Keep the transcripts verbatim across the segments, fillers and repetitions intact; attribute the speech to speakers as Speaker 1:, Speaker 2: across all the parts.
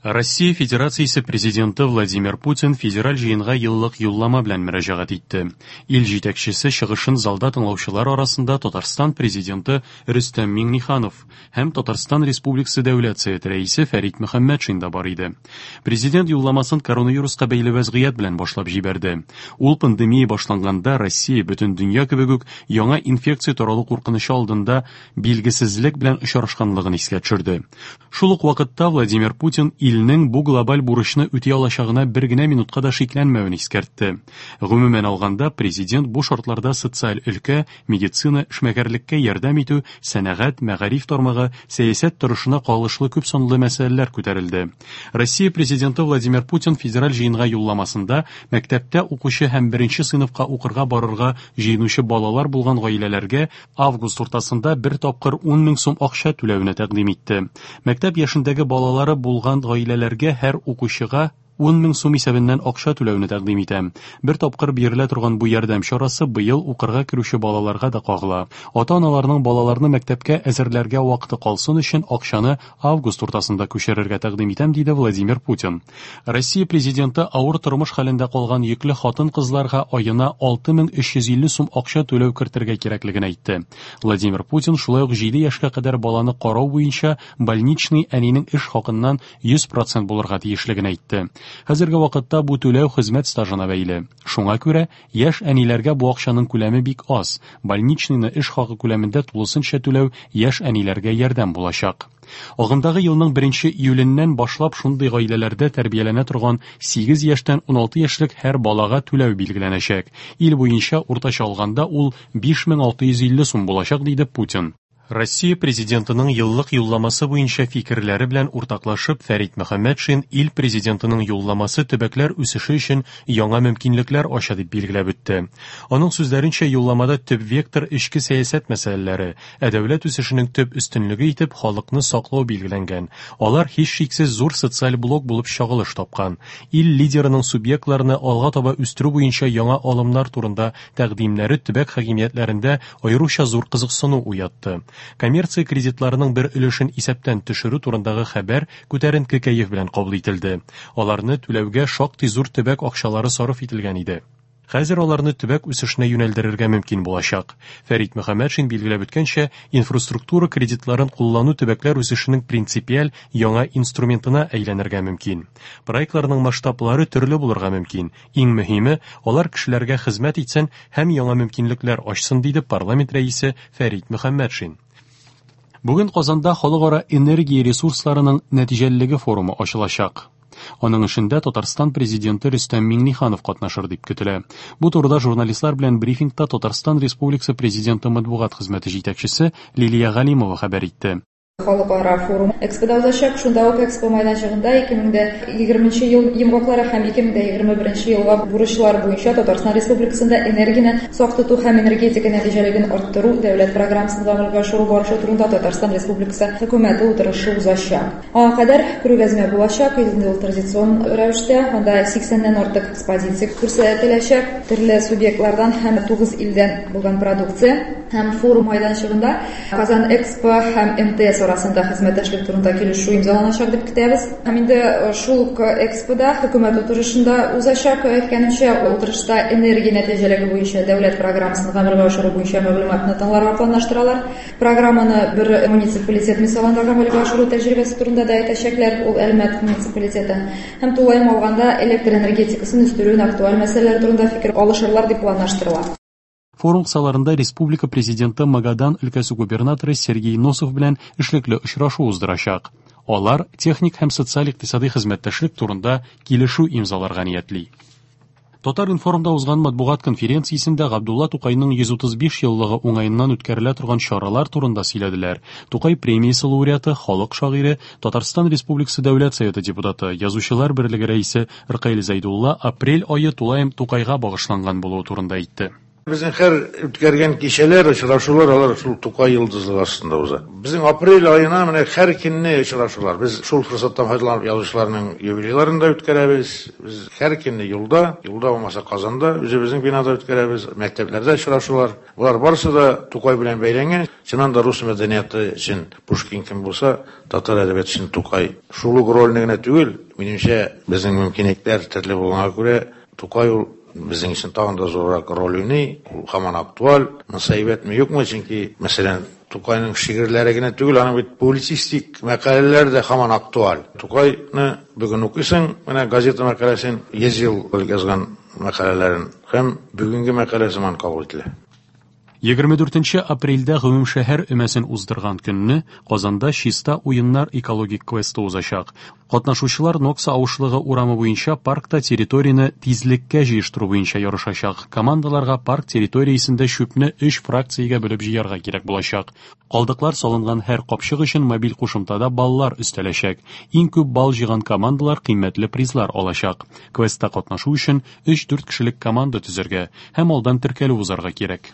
Speaker 1: Россия Федерациясе Президенты Владимир Путин Федераль җыенга еллык юллама белән мөрәҗәгать итте. Ил җитәкчесе чыгышын залда тыңлаучылар арасында Татарстан Президенты Рөстәм Миңнеханов һәм Татарстан Республикасы Дәүләт Советы Рәисе Фәрит Мөхәммәтшин да бар иде. Президент юлламасын коронавируска бәйле вәзгыять белән башлап җибәрде. Ул пандемия башланганда Россия бөтен дөнья кебек үк яңа инфекция таралу куркынычы алдында билгесезлек белән очрашканлыгын искә төшерде. Шул ук вакытта Владимир Путин илнең бу глобаль бурычны үти алачагына бер генә минутка да шикләнмәвен искәртте. Гомумән алганда, президент бу шартларда социаль өлкә, медицина, эшмәкәрлеккә ярдәм итү, сәнәгать, мәгариф тармагы, сәясәт торышына кагылышлы күп санлы мәсьәләләр күтәрелде. Россия президенты Владимир Путин федераль җыенга юлламасында мәктәптә укучы һәм беренче сыйныфка укырга барырга җыенучы балалар булган гаиләләргә август уртасында бер тапкыр ун мең сум акча түләүне тәкъдим итте. Мәктәп яшендәге балалары булган гаиләләргә һәр укучыга ун мең сум исәбеннән акча түләүне тәкъдим итәм. Бер тапкыр бирелә торган бу ярдәм чарасы быел укырга керүче балаларга да кагыла. Ата-аналарның балаларны мәктәпкә әзерләргә вакыты калсын өчен акчаны август уртасында күчерергә тәкъдим итәм, диде Владимир Путин. Россия президенты авыр тормыш хәлендә калган йөкле хатын-кызларга аена алты мең өч йөз илле сум акча түләү кертергә кирәклеген әйтте. Владимир Путин шулай ук җиде яшькә кадәр баланы карау буенча больничный әнинең эш хакыннан йөз процент булырга тиешлеген әйтте. Хәзерге вакытта бу түләү хезмәт стажына бәйле. Шуңа күрә яшь әниләргә бу акчаның күләме бик аз. Больничныйны эш хакы күләмендә тулысынча түләү яшь әниләргә ярдәм булачак. Агымдагы елның беренче июленнән башлап шундый гаиләләрдә тәрбияләнә торган сигез яшьтән уналты яшьлек һәр балага түләү билгеләнәчәк. Ил буенча уртача алганда ул биш мең алты йөз илле сум булачак, диде Путин. Россия президентының еллык юлламасы буенча фикерләре белән уртаклашып, Фәрит Мөхәммәтшин ил президентының юлламасы төбәкләр үсеше өчен яңа мөмкинлекләр ача дип билгеләп үтте. Аның сүзләренчә, юлламада төп вектор эчке сәясәт мәсьәләләре, ә дәүләт үсешенең төп өстенлеге итеп халыкны саклау билгеләнгән. Алар һичшиксез зур социаль блок булып чагылыш тапкан. Ил лидерының субъектларны алга таба үстерү буенча яңа алымнар турында тәкъдимнәре төбәк хакимиятләрендә аеруча зур кызыксыну уятты. Коммерция кредитларының бер өлешен исәптән төшерү турындагы хәбәр күтәренке кәеф белән кабул ителде. Аларны түләүгә шактый зур төбәк акчалары сарыф ителгән иде. Хәзер аларны төбәк үсешенә юнәлдерергә мөмкин булачак. Фәрит Мөхәммәтшин билгеләп үткәнчә, инфраструктура кредитларын куллану төбәкләр үсешенең принципиаль яңа инструментына әйләнергә мөмкин. Проектларның масштаблары төрле булырга мөмкин. Иң мөһиме, алар кешеләргә хезмәт итсен һәм яңа мөмкинлекләр ачсын, диде парламент рәисе Фәрит Мөхәммәтшин. Бүген Казанда халыкара энергия ресурсларының нәтиҗәлелеге форумы ачылачак. Аның эшендә Татарстан президенты Рөстәм Миңнеханов катнашыр дип көтелә. Бу турыда журналистлар белән брифингта Татарстан Республикасы президенты матбугат хезмәте җитәкчесе Лилия Галимова хәбәр итте.
Speaker 2: Халыкара форум Экспода узачак. Шунда ук Экспо майданчыгында ике мең дә егерменче ел йомгаклары һәм ике мең дә егерме беренче елга бурычлар буенча Татарстан Республикасында энергияне сак тоту һәм энергетика нәтиҗәлелеген арттыру дәүләт программасын гамәлгә ашыру барышы турында Татарстан Республикасы хөкүмәте утырышы узачак. Аңа кадәр күргәзмә булачак, инде ул традицион рәвештә, анда сиксәннән артык экспозиция күрсәтеләчәк, төрле субъектлардан һәм тугыз илдән булган продукция. Һәм форум майданчыгында Казан Экспо һәм эм тэ эс арасында хезмәттәшлек турында килешү имзаланачак дип көтәбез. Һәм инде шул ук Экспода хөкүмәт утырышында узачак, әйткәнемчә, утырышта энергия нәтиҗәлелеге буенча дәүләт программасын гамәлгә ашыру буенча мәгълүматны тыңларга планлаштыралар. Программаны бер муниципалитет мисалында гамәлгә ашыру тәҗрибәсе турында да әйтәчәкләр, ул Әлмәт муниципалитеты. Һәм тулаем алганда электр энергетикасын үстерүнең актуаль мәсьәләләре турында фикер алышырлар дип планлаштырыла.
Speaker 1: Форум кысаларында республика президенты Магадан өлкәсе губернаторы Сергей Носов белән эшлекле очрашу уздырачак. Алар техник һәм социаль-икътисади хезмәттәшлек турында килешү имзаларга ниятли. Татар-информда узган матбугат конференциясендә Габдулла Тукайның йөз утыз биш еллыгы уңаеннан үткәрелә торган чаралар турында сөйләделәр. Тукай премиясе лауреаты, халык шагыйре, Татарстан Республикасы Дәүләт Советы депутаты, Язучылар берлеге рәисе Ркаил Зәйдулла апрель ае тулаем Тукайга багышланган булуы турында әйтте.
Speaker 3: Безнең һәр үткәргән кичәләр, очрашулар алар шул Тукай йолдызлыгы астында уза. Безнең апрель аена менә һәр көнне очрашулар. Без шул форсаттан файдаланып язучыларның юбилейларын да үткәрәбез. Без һәр көнне юлда, юлда булмаса Казанда, үзебезнең бинада үткәрәбез, мәктәпләрдә очрашулар. Болар барысы да Тукай белән бәйләнгән. Чыннан да рус мәдәнияты өчен Пушкин кем булса, татар әдәбияты өчен Тукай. Шул ук рольне генә түгел, минемчә, безнең мөмкинлекләр төрле булганга күрә, Тукай ул безнең өчен тагын да зуррак роль уйный, ул һаман актуаль. Монысы әйбәтме, юкмы, чөнки, мәсәлән, Тукайның шигырьләре генә түгел, аның бит публицистик мәкаләләре дә һаман актуаль. Тукайны бүген укыйсың, менә газета мәкаләсен, йөз ел элек язган мәкаләләрен, һәм бүгенге мәкалә сыман кабул ителә.
Speaker 1: Егерме дүртенче апрельдә гомумшәһәр өмәсен уздырган көнне Казанда Чиста уеннар экологик квесты узачак. Катнашучылар Нокса авышлыгы урамы буенча паркта территорияне тизлеккә җыештыру буенча ярышачак. Командаларга парк территориясендә чүпне өч фракциягә бүлеп җыярга кирәк булачак. Калдыклар салынган һәр капчык өчен мобиль кушымтада баллар өстәләчәк. Иң күп балл җыйган командалар кыйммәтле призлар алачак. Квестта катнашу өчен өч-дүрт кешелек команда төзергә һәм алдан теркәлү узарга кирәк.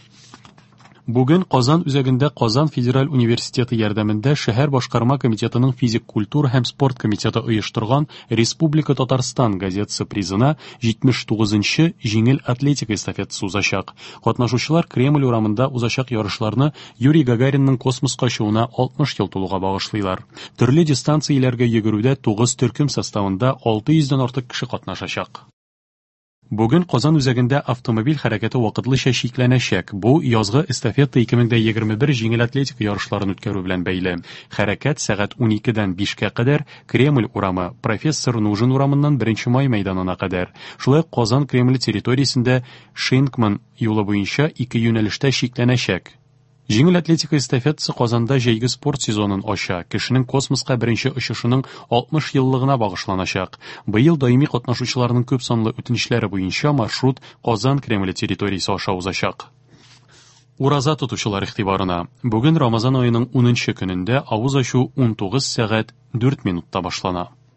Speaker 1: Бүген Казан үзәгендә Казан федераль университеты ярдәмендә шәһәр башкарма комитетының физик культура һәм спорт комитеты оештырган Республика Татарстан газетасы призына җитмеш тугызынчы җиңел атлетика эстафетасы узачак. Катнашучылар Кремль урамында узачак ярышларны Юрий Гагаринның космоска очуына алтмыш ел тулуга багышлыйлар. Төрле дистанцияләргә йөгерүдә тугыз төркем составында алты йөздән артык кеше катнашачак. Бүген Казан үзәгендә автомобиль хәрәкәте вакытлыча чикләнәчәк. Бу язгы эстафета ике мең дә егерме бер җиңел атлетика ярышларын үткәрү белән бәйле. Хәрәкәт сәгать уникедән бишкә кадәр Кремль урамы, Профессор Нужин урамыннан беренче май мәйданына кадәр. Шулай ук Казан Кремле территориясендә Шейнкман юлы буенча ике юнәлештә чикләнәчәк. Җиңел атлетика эстафетасы Казанда җәйге спорт сезонын ача. Кешенең космоска беренче очышының алтмыш еллыгына багышланачак. Быел даими катнашучыларның күп санлы үтенечләре буенча маршрут Казан Кремле территориясе аша узачак. Ураза тотучылар игътибарына. Бүген Рамазан аеның унынчы көнендә авыз ачу унтугыз сәгать дүрт минутта башлана.